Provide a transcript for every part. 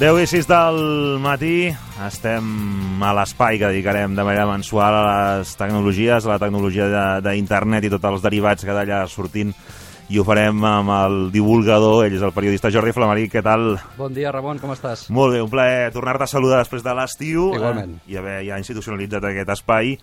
10:06 del matí, estem a l'espai que dedicarem de manera mensual a les tecnologies, a la tecnologia d'internet i tots els derivats que d'allà sortint, i ho farem amb el divulgador, ell és el periodista Jordi Flamaric. Què tal? Bon dia, Ramon, com estàs? Molt bé, un plaer tornar-te a saludar després de l'estiu. Igualment. I haver ja institucionalitzat aquest espai.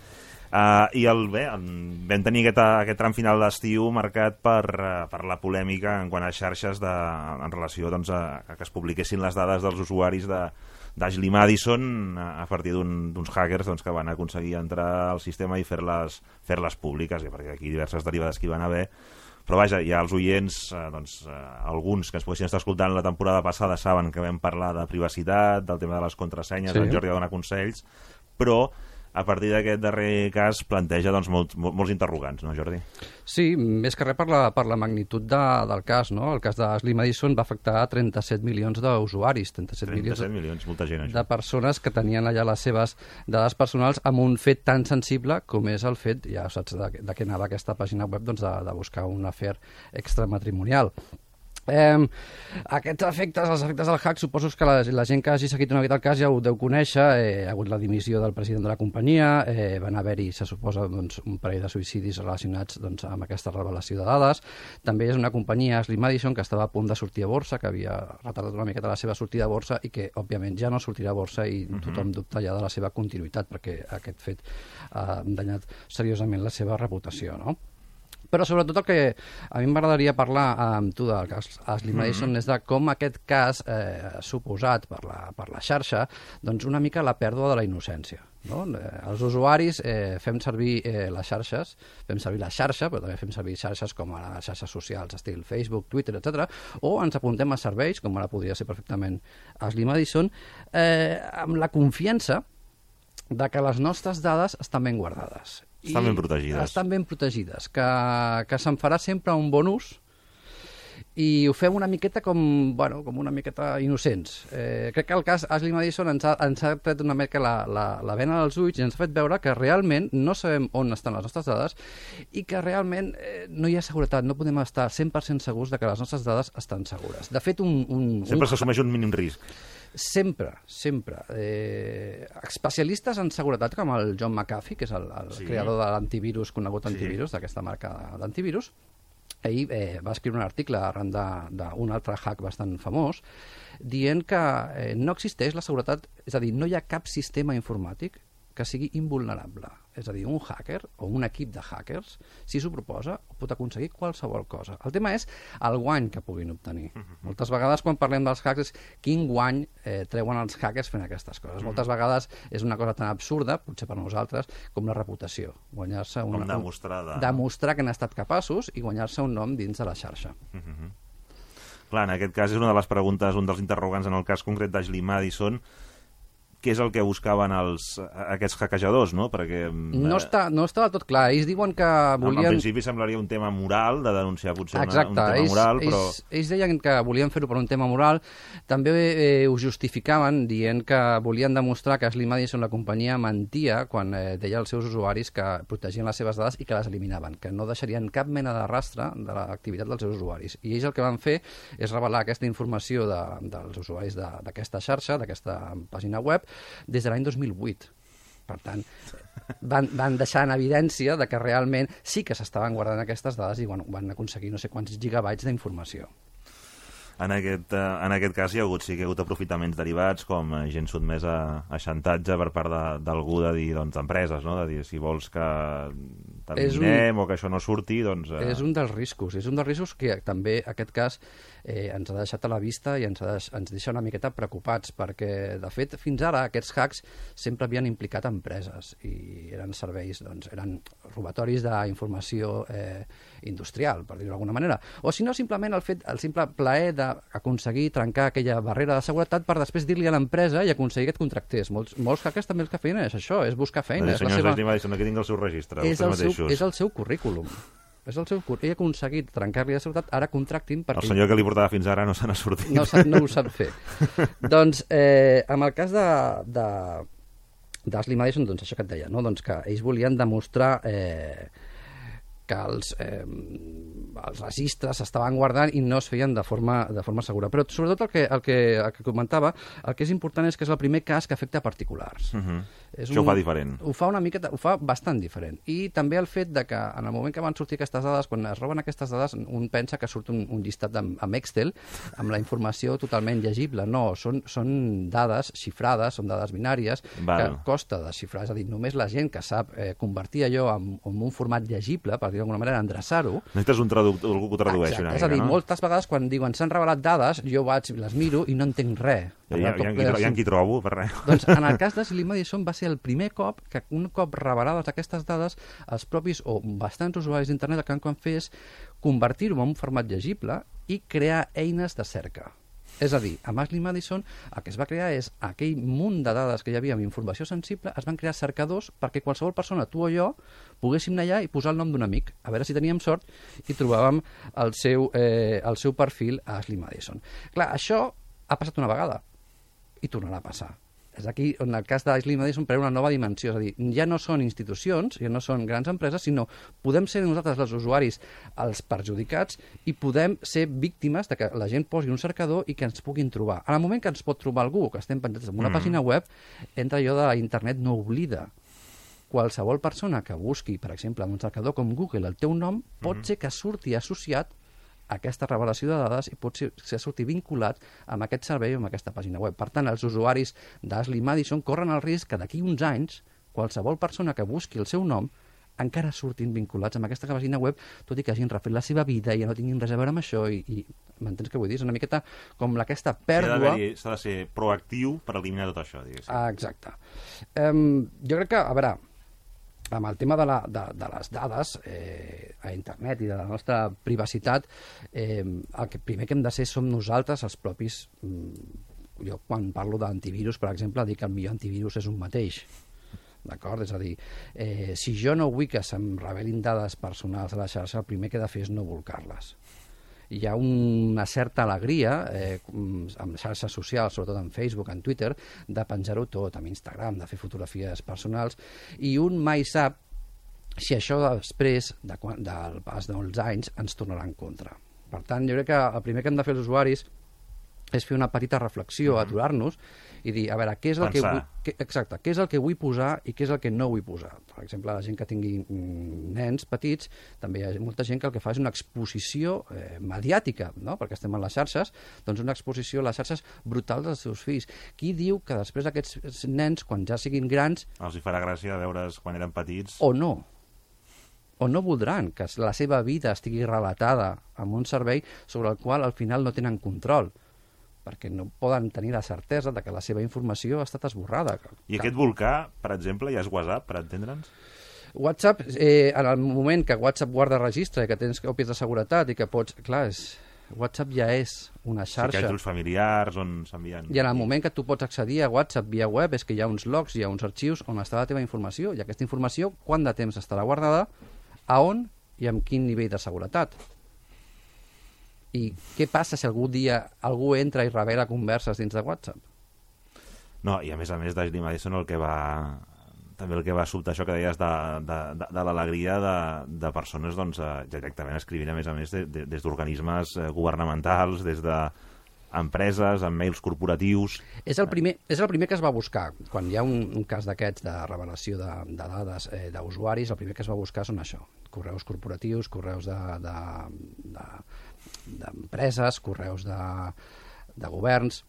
Vam tenir aquest tram final d'estiu marcat per la polèmica en quant a xarxes en relació doncs, a que es publiquessin les dades dels usuaris d'Ashley Madison a partir d'uns hackers doncs, que van aconseguir entrar al sistema i fer-les públiques, perquè aquí diverses derivades que hi van haver. Però vaja, ja els oients, alguns que ens poguessin estar escoltant la temporada passada saben que vam parlar de privacitat, del tema de les contrasenyes, sí. El Jordi dona consells, però a partir d'aquest darrer cas planteja doncs, molts interrogants, no, Jordi? Sí, més que res per la magnitud del cas, no? El cas d'Ashley Madison va afectar 37 milions d'usuaris, 37 milions, molta gent, això. De persones que tenien allà les seves dades personals amb un fet tan sensible com és el fet, ja saps de què anava aquesta pàgina web, doncs de buscar un afer extramatrimonial. Aquests efectes, els efectes del hack, suposo que la gent que hagi seguit una mica el cas ja ho deu conèixer. Hi ha hagut la dimissió del president de la companyia, van haver-hi, se suposa, doncs, un parell de suïcidis relacionats doncs, amb aquesta revelació de dades. També és una companyia, Ashley Madison, que estava a punt de sortir a borsa, que havia retardat una miqueta la seva sortida a borsa i que, òbviament, ja no sortirà a borsa i tothom dubta ja de la seva continuïtat perquè aquest fet ha danyat seriosament la seva reputació, no? Però sobretot el que a mi m'agradaria parlar amb tu del cas Ashley Madison és de com aquest cas ha suposat per la xarxa doncs una mica la pèrdua de la innocència. No? Els usuaris fem servir les xarxes, fem servir la xarxa, però també fem servir xarxes com ara xarxes socials, estil Facebook, Twitter, etc. O ens apuntem a serveis, com ara podria ser perfectament Ashley Madison, amb la confiança de que les nostres dades estan ben guardades. Estan ben protegides. Estan ben protegides, que se'n farà sempre un bon ús i ho fem una miqueta com una miqueta innocents. Crec que el cas Ashley Madison ens ha tret una mica la vena dels ulls i ens ha fet veure que realment no sabem on estan les nostres dades i que realment no hi ha seguretat, no podem estar 100% segurs de que les nostres dades estan segures. De fet, sempre s'assumeix un mínim risc. Sempre. Especialistes en seguretat com el John McAfee, que és el creador de l'antivirus, conegut antivirus, d'aquesta marca d'antivirus, ell va escriure un article arran d'un altre hack bastant famós dient que no existeix la seguretat, és a dir, no hi ha cap sistema informàtic que sigui invulnerable. És a dir, un hacker o un equip de hackers, si s'ho proposa, pot aconseguir qualsevol cosa. El tema és el guany que puguin obtenir. Moltes vegades, quan parlem dels hacks, és quin guany treuen els hackers fent aquestes coses. Moltes vegades és una cosa tan absurda, potser per nosaltres, com la reputació. Guanyar-se demostrar que han estat capaços i guanyar-se un nom dins de la xarxa. Clar, en aquest cas és una de les preguntes, un dels interrogants en el cas concret d'Ashley Madison. Què és el que buscaven aquests hackejadors, no? Perquè no està del tot clar. Ells diuen que volien... En principi semblaria un tema moral, de denunciar potser un tema moral, però... Ells deien que volien fer-ho per un tema moral. També ho justificaven dient que volien demostrar que Ashley Madison, la companyia, mentia quan deia als seus usuaris que protegien les seves dades i que les eliminaven, que no deixarien cap mena de rastre de l'activitat dels seus usuaris. I ells el que van fer és revelar aquesta informació dels usuaris d'aquesta xarxa, d'aquesta pàgina web, des de l'any 2008. Per tant, van deixar en evidència de que realment sí que s'estaven guardant aquestes dades i van aconseguir no sé quants gigabytes d'informació. En aquest cas hi ha hagut aprofitaments derivats com gent sotmesa a xantatge per part d'algú de dir, doncs, d'empreses, no? De dir, si vols que t'eliminem o que això no surti, doncs... És un dels riscos que també aquest cas ens ha deixat a la vista i ens deixa una miqueta preocupats, perquè, de fet, fins ara aquests hacks sempre havien implicat empreses i eren serveis, doncs, eren robatoris d'informació industrial, per dir-ho d'alguna manera. O si no, simplement el simple plaer d'aconseguir trencar aquella barrera de seguretat per després dir-li a l'empresa i aconseguir que et contractés. Molts hackers també el que feien és això, és buscar feina. Senyors Ashley Madison, aquí tinc el seu registre, és el seu currículum. Ell ha aconseguit trencar-li la seguretat, ara contractin perquè... El senyor que li portava fins ara no se n'ha sortit. No ho sap fer. Doncs, amb el cas d'Ashley Madison, doncs això que et deia, no? Doncs que ells volien demostrar que els registres s'estaven guardant i no es feien de forma segura. Però sobretot el que comentava, el que és important és que és el primer cas que afecta particulars. Això ho fa diferent. Ho fa bastant diferent. I també el fet de que en el moment que van sortir aquestes dades, quan es roben aquestes dades, un pensa que surt un llistat amb Excel, amb la informació totalment llegible. No, són dades xifrades, són dades binàries, que costa desxifrar. És a dir, només la gent que sap convertir allò en un format llegible, per dir d'alguna manera, endreçar-ho. Necessites algú que ho tradueixi una mica, no? És a dir, moltes vegades quan diuen s'han revelat dades, jo les miro i no entenc res. Hi ha qui trobo, per res. Doncs en el cas de Ashley Madison va ser el primer cop que un cop revelades aquestes dades, els propis o bastants usuaris d'internet el que van fer és convertir-ho en un format llegible i crear eines de cerca. És a dir, amb Ashley Madison el que es va crear és aquell munt de dades que hi havia amb informació sensible, es van crear cercadors perquè qualsevol persona, tu o jo, poguéssim anar allà i posar el nom d'un amic, a veure si teníem sort i trobàvem el seu perfil a Ashley Madison. Clar, això ha passat una vegada i tornarà a passar. És aquí on el cas d'Ashley Madison pren una nova dimensió, és a dir, ja no són institucions, ja no són grans empreses, sinó podem ser nosaltres, els usuaris, els perjudicats i podem ser víctimes de que la gent posi un cercador i que ens puguin trobar. En el moment que ens pot trobar algú, que estem penjats en una pàgina web, entra allò de internet no oblida. Qualsevol persona que busqui, per exemple, en un cercador com Google el teu nom, pot ser que surti associat aquesta revelació de dades i pot ser sortir vinculat amb aquest servei o amb aquesta pàgina web. Per tant, els usuaris d'Ashley Madison corren el risc que d'aquí uns anys qualsevol persona que busqui el seu nom encara surtin vinculats amb aquesta pàgina web, tot i que hagin refet la seva vida i ja no tinguin res a veure amb això i m'entens què vull dir? És una miqueta com aquesta pèrdua... S'ha de ser proactiu per eliminar tot això, diguéssim. Exacte. Jo crec que, a veure, amb el tema de les dades a internet i de la nostra privacitat, el primer que hem de ser som nosaltres, els propis... Jo, quan parlo d'antivirus, per exemple, dic que el millor antivirus és un mateix. D'acord? És a dir, si jo no vull que se'm revelin dades personals a la xarxa, el primer que he de fer és no volcar-les. Hi ha una certa alegria amb xarxes socials, sobretot en Facebook, en Twitter, de penjar-ho tot, amb Instagram, de fer fotografies personals, i un mai sap si això després del pas dels anys ens tornarà en contra. Per tant, jo crec que el primer que hem de fer els usuaris és fer una petita reflexió, aturar-nos i dir, a veure, què és el que vull posar i què és el que no vull posar. Per exemple, la gent que tingui nens petits, també hi ha molta gent que el que fa és una exposició mediàtica, no? Perquè estem en les xarxes, doncs una exposició a les xarxes brutal dels seus fills. Qui diu que després aquests nens, quan ja siguin grans... Els hi farà gràcia veure's quan eren petits? O no voldran que la seva vida estigui relatada amb un servei sobre el qual al final no tenen control, perquè no poden tenir la certesa de que la seva informació ha estat esborrada. I aquest volcà, per exemple, ja és WhatsApp, per entendre'ns? WhatsApp, en el moment que WhatsApp guarda registre i que tens còpies de seguretat i que pots... Clar, WhatsApp ja és una xarxa. Sí, que els familiars on s'envien... I en el moment que tu pots accedir a WhatsApp via web és que hi ha uns logs, hi ha uns arxius on està la teva informació, i aquesta informació, quant de temps estarà guardada, a on i amb quin nivell de seguretat. I què passa si algun dia algú entra i revela converses dins de WhatsApp? No, i a més d'Ashley Madison també el que va sobtar això que deies de l'alegria de persones doncs, directament escrivint a més des d'organismes governamentals, des d'empreses, amb mails corporatius... És el primer que es va buscar. Quan hi ha un cas d'aquests de revelació de dades d'usuaris, el primer que es va buscar són això, correus corporatius, correus d'empreses, correus de governs,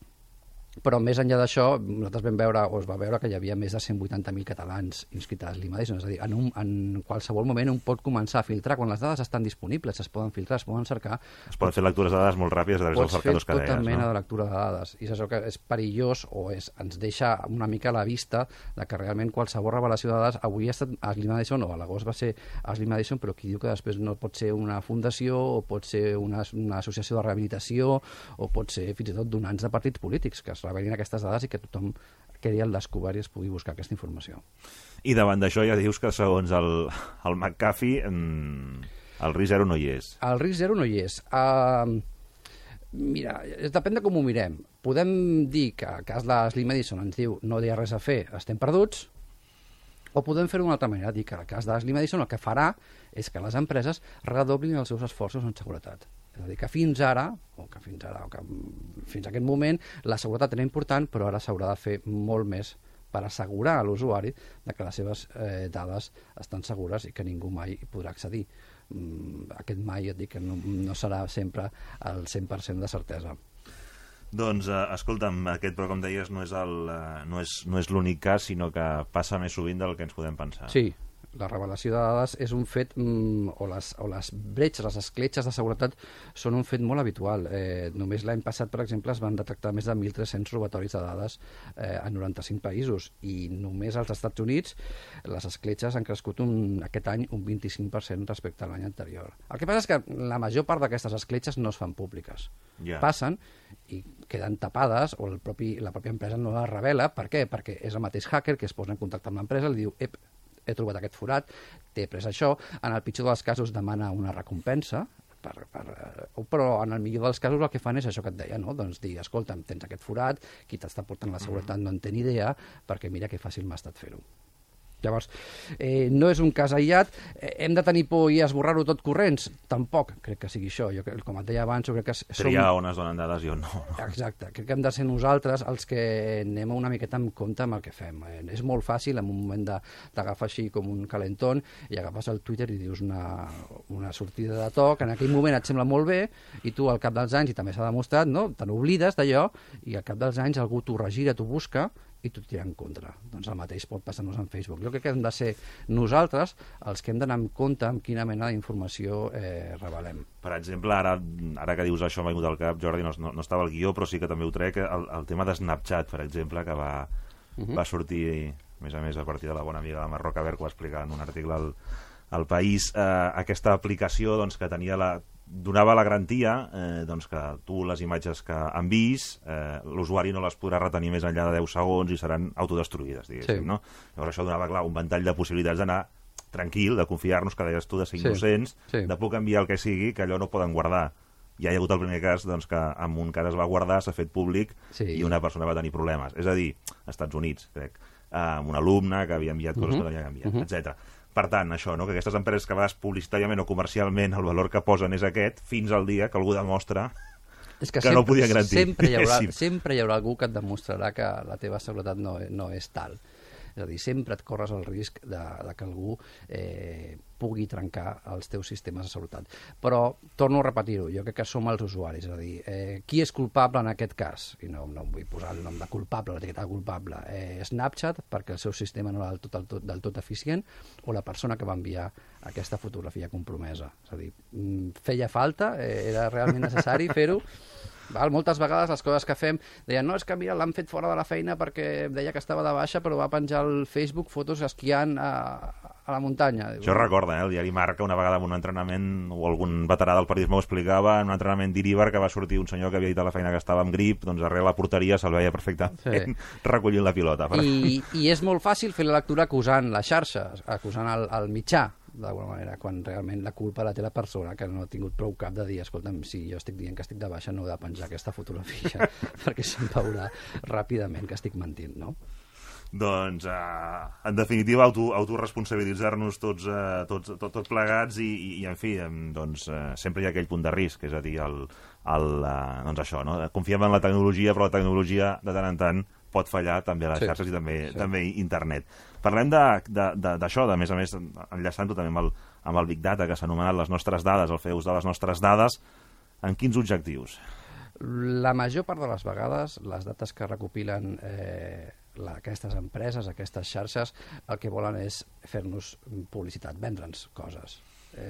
però més enllà d'això, nosaltres vam veure, o es va veure que hi havia més de 180.000 catalans inscrits a Ashley Madison, és a dir, en qualsevol moment un pot començar a filtrar, quan les dades estan disponibles, es poden filtrar, es poden cercar... Es poden fer lectures de dades molt ràpides a través dels cercadors que deies, no? Pots fer tota mena de lectura de dades, i és això que és perillós, o ens deixa una mica a la vista de que realment qualsevol revelació de dades, avui ha estat Ashley Madison, o a l'agost va ser Ashley Madison, però qui diu que després no pot ser una fundació, o pot ser una associació de rehabilitació, o pot ser fins i tot donants de partits polítics, que es revelin aquestes dades i que tothom quedi al descobert i es pugui buscar aquesta informació. I davant d'això ja dius que segons el McAfee el risc zero no hi és. El risc zero no hi és. Mira, depèn de com ho mirem. Podem dir que el cas d'Ashley Madison ens diu no hi ha res a fer, estem perduts, O podem fer-ho d'una altra manera, dir que el cas d'Ashley Madison el que farà és que les empreses redoblin els seus esforços en seguretat. És a dir, que fins ara, o que fins a aquest moment, la seguretat era important, però ara s'haurà de fer molt més per assegurar a l'usuari que les seves dades estan segures i que ningú mai hi podrà accedir. Aquest mai, et dic, que no serà sempre el 100% de certesa. Doncs, escolta'm, aquest, però com deies, no és l'únic cas, sinó que passa més sovint del que ens podem pensar. Sí, la revelació de dades és un fet, o les bretxes, les escletxes de seguretat són un fet molt habitual. Només l'any passat, per exemple, es van detectar més de 1.300 robatoris de dades a 95 països, i només als Estats Units les escletxes han crescut aquest any un 25% respecte a l'any anterior. El que passa és que la major part d'aquestes escletxes no es fan públiques. Passen i queden tapades, o la pròpia empresa no les revela. Per què? Perquè és el mateix hacker que es posa en contacte amb l'empresa i li diu: he trobat aquest forat, t'he pres això. En el pitjor dels casos demana una recompensa, però en el millor dels casos el que fan és això que et deia, no? Doncs dir, escolta'm, tens aquest forat, qui t'està portant la seguretat no en té ni idea, perquè mira que fàcil m'ha estat fer-ho. Llavors, no és un cas aïllat. Hem de tenir por i esborrar-ho tot corrents? Tampoc crec que sigui això. Jo, com et deia abans, crec que triar on es donen dades i on no. Exacte. Crec que hem de ser nosaltres els que anem una miqueta en compte amb el que fem. És molt fàcil, en un moment d'agafar així com un calentón, i agafes el Twitter i dius una sortida de to, que en aquell moment et sembla molt bé, i tu al cap dels anys, i també s'ha demostrat, no? Te n'oblides d'allò, i al cap dels anys algú t'ho regira, t'ho busca, i t'ho tira en contra. Doncs el mateix pot passar-nos en Facebook. Jo crec que hem de ser nosaltres els que hem d'anar en compte amb quina mena d'informació revelem. Per exemple, ara que dius això m'ha vingut al cap, Jordi, no estava al guió, però sí que també ho trec, el tema de Snapchat, per exemple, que va sortir, a més, a partir de la bona amiga de Marroca Ver, que va explicar en un article al País, aquesta aplicació que donava la garantia que tu les imatges que enviïs l'usuari no les podrà retenir més enllà de 10 segons i seran autodestruïdes, diguéssim, no? Llavors això donava, clar, un ventall de possibilitats d'anar tranquil, de confiar-nos, que deies tu, de ser innocents, de poder enviar el que sigui, que allò no poden guardar. Ja hi ha hagut el primer cas que en un cas es va guardar, s'ha fet públic i una persona va tenir problemes. És a dir, als Estats Units, crec, amb un alumne que havia enviat coses que no havia enviat, etc. Per tant, això, que aquestes empreses que a vegades publicitàriament o comercialment el valor que posen és aquest, fins al dia que algú demostra que no ho podien garantir. Sempre hi haurà algú que et demostrarà que la teva seguretat no és tal. És a dir, sempre et corres el risc de que algú pugui trencar els teus sistemes de seguretat. Però, torno a repetir-ho, jo crec que som els usuaris. És a dir, qui és culpable en aquest cas? I no vull posar el nom de culpable, l'etiqueta de culpable. Snapchat, perquè el seu sistema no era del tot eficient, o la persona que va enviar aquesta fotografia compromesa. És a dir, feia falta? Era realment necessari fer-ho? Moltes vegades les coses que fem deien, no, és que mira, l'han fet fora de la feina perquè deia que estava de baixa, però va penjar al Facebook fotos esquiant a la muntanya. Això recorda, el diari Marca, una vegada en un entrenament, o algun veterà del periodisme ho explicava, en un entrenament d'Iríbar, que va sortir un senyor que havia dit a la feina que estava amb grip, doncs darrere la porteria se'l veia perfectament recollint la pilota. I és molt fàcil fer la lectura acusant la xarxa, acusant el mitjà, d'alguna manera, quan realment la culpa la té la persona que no ha tingut prou cap de dir, escolta'm, si jo estic dient que estic de baixa no he de penjar aquesta fotografia perquè se'm veurà ràpidament que estic mentint, no? Doncs, en definitiva, autoresponsabilitzar-nos tots plegats i en fi, doncs, sempre hi ha aquell punt de risc, és a dir, doncs això, no? Confiem en la tecnologia, però la tecnologia de tant en tant pot fallar també a les xarxes i també internet. Parlem d'això, a més, enllaçant-ho també amb el Big Data, que s'ha anomenat les nostres dades, el fer ús de les nostres dades. En quins objectius? La major part de les vegades, les dades que recopilen aquestes empreses, aquestes xarxes, el que volen és fer-nos publicitat, vendre'ns coses.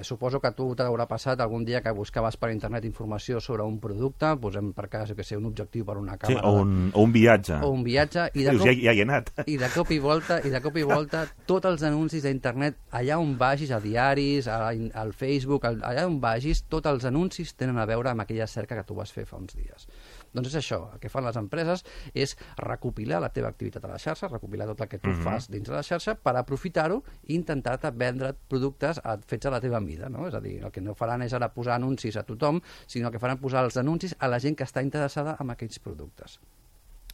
Suposo que a tu t'haurà passat algun dia que buscaves per internet informació sobre un producte, posem per cas, un objectiu per una càmera... Sí, o un viatge. O un viatge, ja hi he anat. I de cop i volta, tots els anuncis d'internet, allà on vagis, a diaris, al Facebook, allà on vagis, tots els anuncis tenen a veure amb aquella cerca que tu vas fer fa uns dies. Doncs és això, el que fan les empreses és recopilar la teva activitat a la xarxa, recopilar tot el que tu fas dins de la xarxa per aprofitar-ho i intentar-te vendre productes fets a la teva mida, no? És a dir, el que no faran és ara posar anuncis a tothom, sinó que faran posar els anuncis a la gent que està interessada en aquells productes.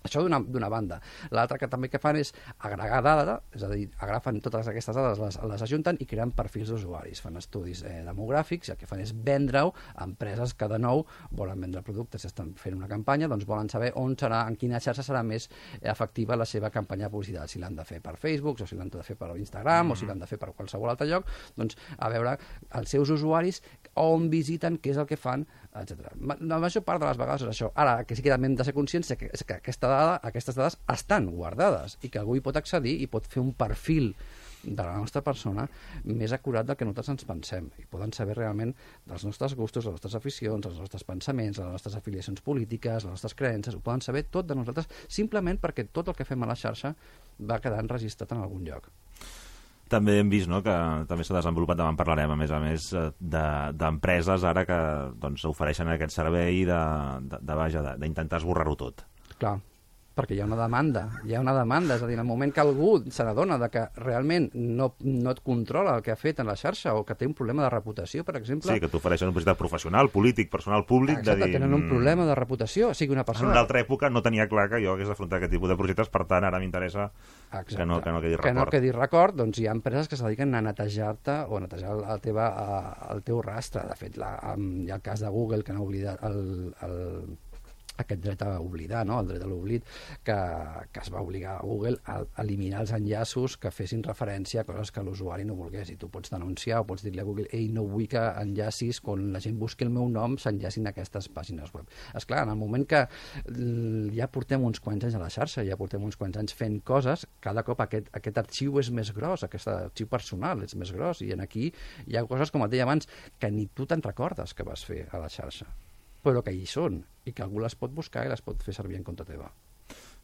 Això d'una banda. L'altra que també que fan és agregar dada, és a dir, agafen totes aquestes dades, les ajunten i creen perfils d'usuaris. Fan estudis demogràfics i el que fan és vendre-ho a empreses que de nou volen vendre productes. Si estan fent una campanya, doncs volen saber on serà, en quina xarxa serà més efectiva la seva campanya de publicitat. Si l'han de fer per Facebook, o si l'han de fer per Instagram, o si l'han de fer per qualsevol altre lloc, doncs a veure els seus usuaris on visiten, què és el que fan, etc. La major part de les vegades és això. Ara, que sí que també hem de ser conscients és que aquestes dades estan guardades i que algú hi pot accedir i pot fer un perfil de la nostra persona més acurat del que nosaltres ens pensem i poden saber realment dels nostres gustos, les nostres aficions, els nostres pensaments, les nostres afiliacions polítiques, les nostres creences, ho poden saber tot de nosaltres simplement perquè tot el que fem a la xarxa va quedar enregistrat en algun lloc. També hem vist, no?, que també s'ha desenvolupat, demà en parlarem, a més, d'empreses ara que doncs, ofereixen aquest servei d'intentar esborrar-ho tot. Clar, perquè hi ha una demanda, és a dir, en el moment que algú se n'adona que realment no et controla el que ha fet en la xarxa o que té un problema de reputació, per exemple... Sí, que t'ofereixen una publicitat professional, polític, personal, públic... Exacte, tenen un problema de reputació, o sigui, una persona... En una altra època no tenia clar que jo hagués d'afrontar aquest tipus de projectes, per tant, ara m'interessa que no quedi record. Que no quedi record, doncs hi ha empreses que se dediquen a netejar-te o a netejar el teu rastre. De fet, hi ha el cas de Google, que no ha oblidat aquest dret a oblidar, no? El dret a l'oblit, que es va obligar a Google a eliminar els enllaços que fessin referència a coses que l'usuari no volgués. I tu pots denunciar o pots dir-li a Google no vull que enllacis, quan la gent busqui el meu nom, s'enllacin a aquestes pàgines web. Esclar, en el moment que ja portem uns quants anys a la xarxa, ja portem uns quants anys fent coses, cada cop aquest arxiu és més gros, aquest arxiu personal és més gros, i aquí hi ha coses, com et deia abans, que ni tu te'n recordes que vas fer a la xarxa, però que hi són, i que algú les pot buscar i les pot fer servir en contra teva.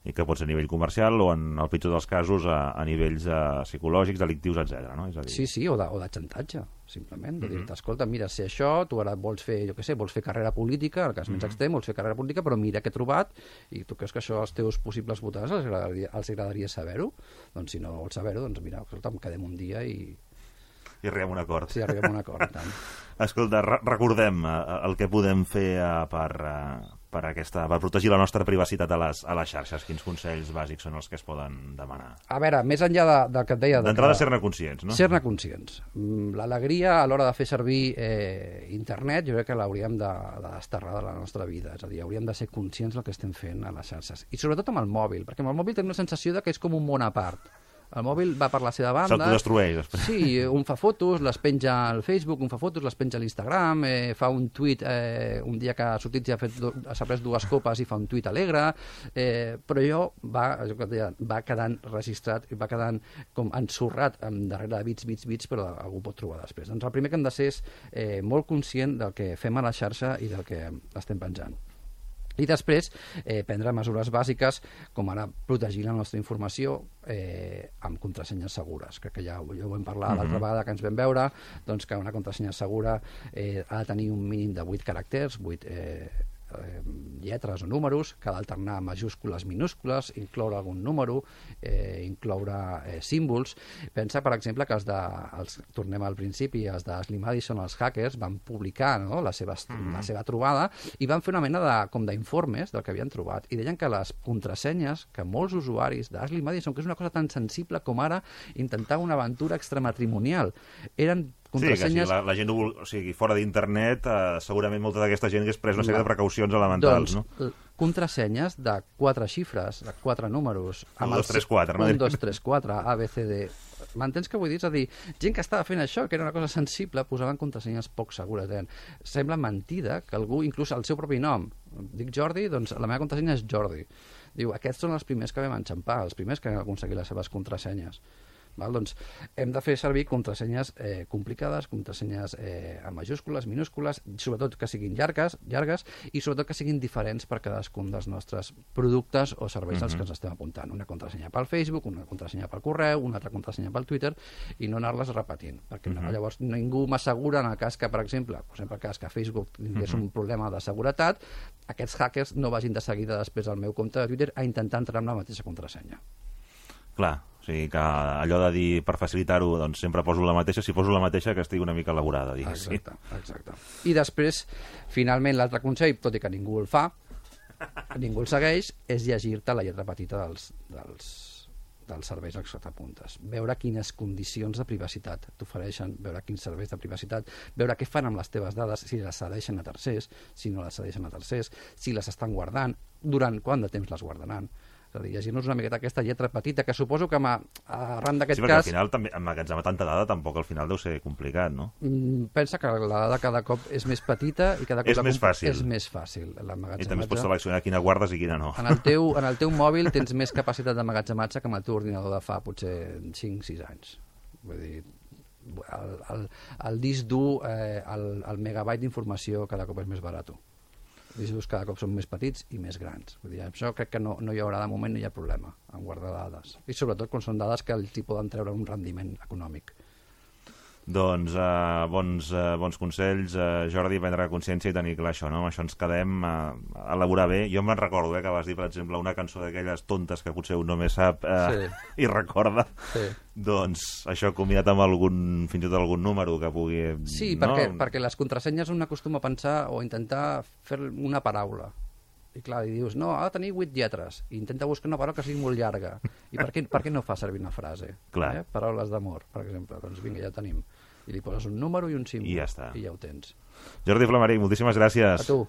I que pot ser a nivell comercial o, en el pitjor dels casos, a nivells psicològics, delictius, etc. No? És a dir... Sí, o de xantatge, simplement. De dir-te, escolta, mira, sé això, tu ara vols fer, vols fer carrera política, en el cas més extrem, vols fer carrera política, però mira què he trobat, i tu creus que això als teus possibles votants els agradaria saber-ho? Doncs si no vols saber-ho, doncs mira, escolta, quedem un dia i arribem a un acord. Sí, arribem a un acord, tant. Escolta, recordem el que podem fer per protegir la nostra privacitat a les xarxes. Quins consells bàsics són els que es poden demanar? A veure, més enllà del que et deia... D'entrada, ser-ne conscients, no? Ser-ne conscients. L'alegria a l'hora de fer servir internet jo crec que l'hauríem de desterrar de la nostra vida. És a dir, hauríem de ser conscients del que estem fent a les xarxes. I sobretot amb el mòbil, perquè amb el mòbil tenim la sensació que és com un món a part. El mòbil va per la seva banda. S'autodestrueix, després. Sí, un fa fotos, les penja al Facebook, un fa fotos, les penja a l'Instagram, fa un tuit un dia que ha sortit i s'ha pres 2 copes i fa un tuit alegre, però allò va quedant registrat i va quedant com ensorrat darrere de bits, però algú pot trobar després. Doncs el primer que hem de ser és molt conscient del que fem a la xarxa i del que estem penjant. I després prendre mesures bàsiques com ara protegir la nostra informació amb contrasenyes segures. Crec que ja ho vam parlar l'altra vegada que ens vam veure, doncs que una contrasenya segura ha de tenir un mínim de 8 caràcters, 8 lletres o números, que ha d'alternar majúscules, minúscules, incloure algun número, incloure símbols. Pensa, per exemple, que tornem al principi, els d'Ashley Madison, els hackers, van publicar la seva trobada i van fer una mena d'informes del que havien trobat. I deien que les contrasenyes que molts usuaris d'Ashley Madison, que és una cosa tan sensible com ara intentar una aventura extramatrimonial, eren contrasenyes... Sí, que si la gent fora d'internet, segurament molta d'aquesta gent hagués pres una sèrie de precaucions elementals, no? Contrasenyes de 4 xifres, de 4 números... 1, 2, 3, 4, no? 1, 2, 3, 4, A, B, C, D... M'entens què vull dir? És a dir, gent que estava fent això, que era una cosa sensible, posaven contrasenyes poc segures. Sembla mentida que algú, inclús el seu propi nom, dic Jordi, doncs la meva contrasenya és Jordi. Diu, aquests són els primers que vam enxampar, els primers que han aconseguit les seves contrasenyes. Doncs hem de fer servir contrasenyes complicades, contrasenyes amb majúscules, minúscules, sobretot que siguin llargues i sobretot que siguin diferents per cadascun dels nostres productes o serveis als que ens estem apuntant. Una contrasenya pel Facebook, una contrasenya pel correu, una altra contrasenya pel Twitter i no anar-les repetint, perquè llavors ningú m'assegura en el cas que, per exemple, que Facebook tingués un problema de seguretat, aquests hackers no vagin de seguida després al meu compte de Twitter a intentar entrar amb la mateixa contrasenya. Clar, o sigui que allò de dir per facilitar-ho, doncs sempre poso la mateixa, si poso la mateixa que estigui una mica elaborada, diguéssim. Exacte. I després, finalment, l'altre consell, tot i que ningú el fa, ningú el segueix, és llegir-te la lletra petita dels serveis als que t'apuntes. Veure quines condicions de privacitat t'ofereixen, veure quins serveis de privacitat, veure què fan amb les teves dades, si les cedeixen a tercers, si no les cedeixen a tercers, si les estan guardant, durant quant de temps les guardaran. És a dir, llegir-nos una miqueta aquesta lletra petita, que suposo que arran d'aquest sí, perquè cas... al final, també, emmagatzemar tanta dada tampoc al final deu ser complicat, no? Pensa que la dada cada cop és més petita i cada cop és més fàcil. És més fàcil I també pots seleccionar quina guardes i quina no. En el teu mòbil tens més capacitat d'emmagatzematge que amb el teu ordinador de fa potser 5-6 anys. Vull dir, el disc dur, el megabyte d'informació cada cop és més barat. Els discs cada cop són més petits i més grans. Vull dir, això crec que no hi haurà de moment, no hi ha problema en guardar dades. I sobretot quan són dades que els hi poden treure un rendiment econòmic. Doncs bons consells, Jordi, prendre consciència i tenir clar això, no? Amb això ens quedem a elaborar bé. Jo me'n recordo que vas dir, per exemple, una cançó d'aquelles tontes que potser un només sap i recorda. Sí. Doncs això combinat amb fins i tot algun número que pugui... Sí, perquè les contrasenyes un acostuma a pensar o intentar fer una paraula. I clar, i dius, no, ha de tenir 8 lletres. I intenta buscar una paraula que sigui molt llarga. I per què no fa servir una frase? Paraules d'amor, per exemple. Doncs vinga, ja ho tenim. I li poses un número i un símbol. I ja està. I ja ho tens. Jordi Flamaric, moltíssimes gràcies. A tu.